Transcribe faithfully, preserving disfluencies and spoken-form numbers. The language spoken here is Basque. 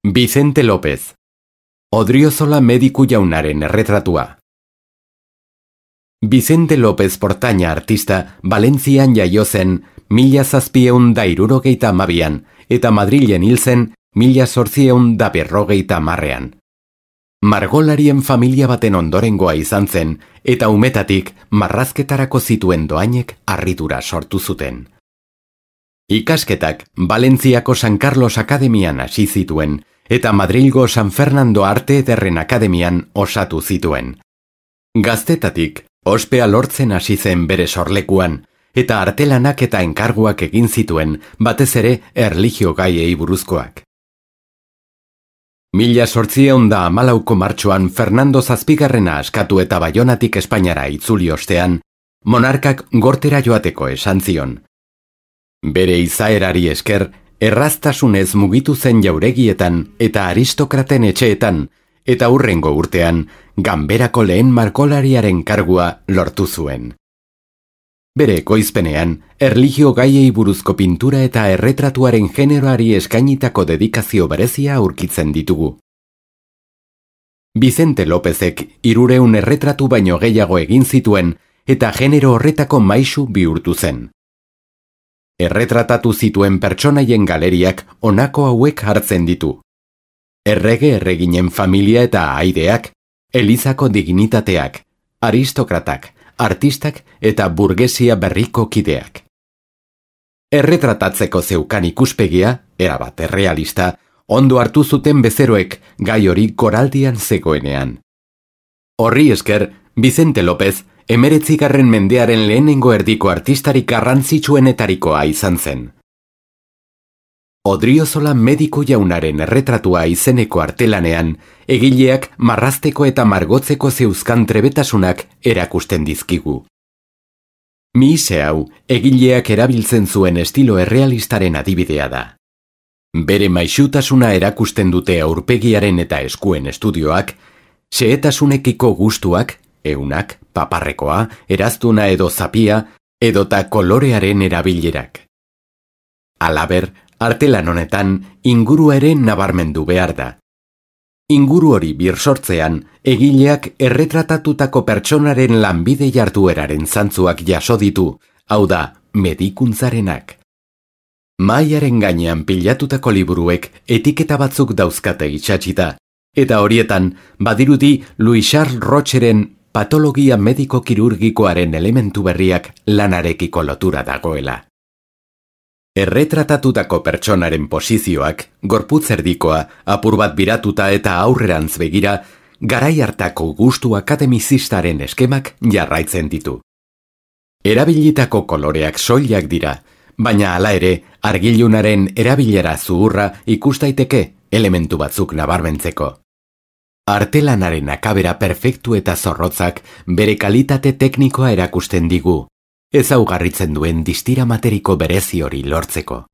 Vicente López, Odriozola mediku jaunaren erretratua. Vicente López Portaña artista Valentzian jaio zen mila zazpieun da hirurogeita hamabian eta Madrilen hil zen mila zortzieun da berrogeita hamarrean. Margolarien familia baten ondorengoa izan zen eta umetatik marrazketarako zituen dohainek harridura sortu zuten. Ikasketak Valentziako San Carlos Akademian hasi zituen eta Madrilgo San Fernando Arte Ederren Akademian osatu zituen. Gaztetatik ospea lortzen hasi zen bere sorlekuan eta artelanak eta enkarguak egin zituen, batez ere erlijio gaiei buruzkoak. Mila zortziehun da hamalauko martxoan Fernando Zazpigarrena askatu eta Baionatik Espainiara itzuli ostean, monarkak gortera joateko esan zion. Bere izaerari esker, erraztasunez mugitu zen jauregietan eta aristokraten etxeetan, eta hurrengo urtean, ganberako lehen margolariaren kargua lortu zuen. Bere ekoizpenean, erlijio gaiei buruzko pintura eta erretratuaren generoari eskainitako dedikazio berezia aurkitzen ditugu. Vicente Lópezek hirureun erretratu baino gehiago egin zituen eta genero horretako maisu bihurtu zen. Erretratatu zituen pertsonaien galeriak honako hauek hartzen ditu. Errege erreginen familia eta aideak, elizako dignitateak, aristokratak, artistak eta burgesia berriko kideak. Erretratatzeko zeukan ikuspegia, erabat errealista, ondo hartu zuten bezeroek gai hori goraldian zegoenean. Horri esker, Vicente López emeretzigarren mendearen lehenengo erdiko artistarik garrantzitsuenetarikoa izan zen. Odriozola mediku jaunaren erretratua izeneko artelanean, egileak marrazteko eta margotzeko zeuzkan trebetasunak erakusten dizkigu. Mihise hau, egileak erabiltzen zuen estilo errealistaren adibidea da. Bere maisutasuna erakusten dute aurpegiaren eta eskuen estudioak, xehetasunekiko gustuak, eunak, paparrekoa, eraztuna edo zapia, edota kolorearen erabilerak. Halaber, artelan honetan, ingurua ere nabarmendu behar da. Inguru hori birsortzean, egileak erretratatutako pertsonaren lanbide jardueraren zantzuak jaso ditu, hau da, medikuntzarenak. Mahaiaren gainean pilatutako liburuek etiketa batzuk dauzkate itxatxita, eta horietan, badirudi Louis Charles Rocheren patologia mediko-kirurgikoaren elementu berriak lanarekiko lotura dagoela. Erretratatutako pertsonaren posizioak, gorputz erdikoa, apur bat biratuta eta aurrerantz begira, garai hartako gustu akademizistaren eskemak jarraitzen ditu. Erabilitako koloreak soilak dira, baina hala ere, argilunaren erabilera zuhurra ikustaiteke elementu batzuk nabarmentzeko. Artelanaren akabera perfektu eta zorrotzak bere kalitate teknikoa erakusten digu, ezaugarritzen duen distira materiko berezi hori lortzeko.